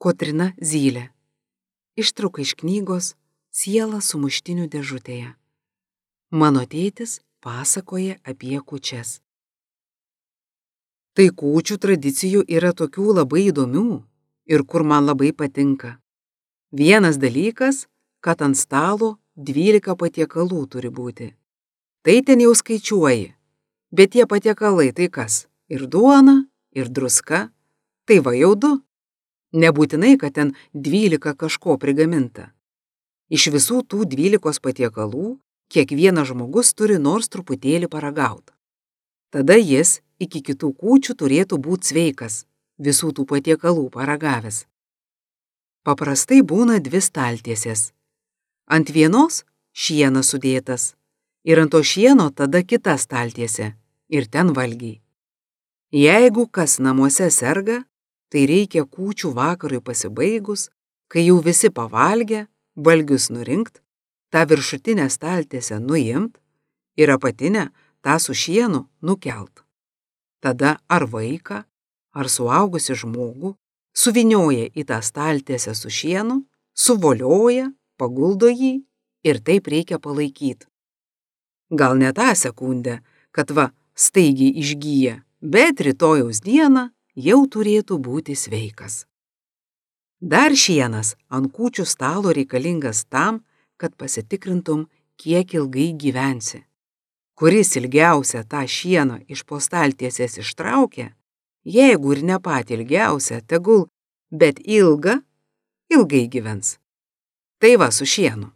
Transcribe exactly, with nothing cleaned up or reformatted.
Kotryna Zylė. Ištrauka iš knygos Siela sumuštinių dėžutėje. Mano tėtis pasakoja apie kūčias. Tai kūčių tradicijų yra tokių labai įdomių ir kur man labai patinka. Vienas dalykas, kad ant stalo dvylika patiekalų turi būti. Tai ten jau skaičiuoji, bet tie patiekalai tai kas? Ir duona, ir druska, tai va jau du. Nebūtinai, kad ten dvylika kažko prigaminta. Iš visų tų dvylikos patiekalų kiekvienas žmogus turi nors truputėlį paragauti. Tada jis iki kitų kūčių turėtų būti sveikas, visų tų patiekalų paragavęs. Paprastai būna dvi staltiesės. Ant vienos šienas sudėtas ir ant to šieno tada kita staltiesė ir ten valgiai. Jeigu kas namuose serga, tai reikia kūčių vakarui pasibaigus, kai jau visi pavalgę, valgius nurinkt, tą viršutinę staltiesę nuimt ir apatinę tą su šienu nukelt. Tada ar vaiką, ar suaugusi žmogų suvinioja į tą staltiesę su šienu, suvolioja, paguldo jį ir taip reikia palaikyti. Gal ne tą sekundę, kad va staigiai išgyja, bet rytojaus dieną jau turėtų būti sveikas. Dar šienas ant kūčių stalo reikalingas tam, kad pasitikrintum, kiek ilgai gyvensi. Kuris ilgiausia tą šieną iš po staltiesės ištraukia, jeigu ir ne patį ilgiausia, tegul, bet ilga, ilgai gyvens. Tai va su šienu.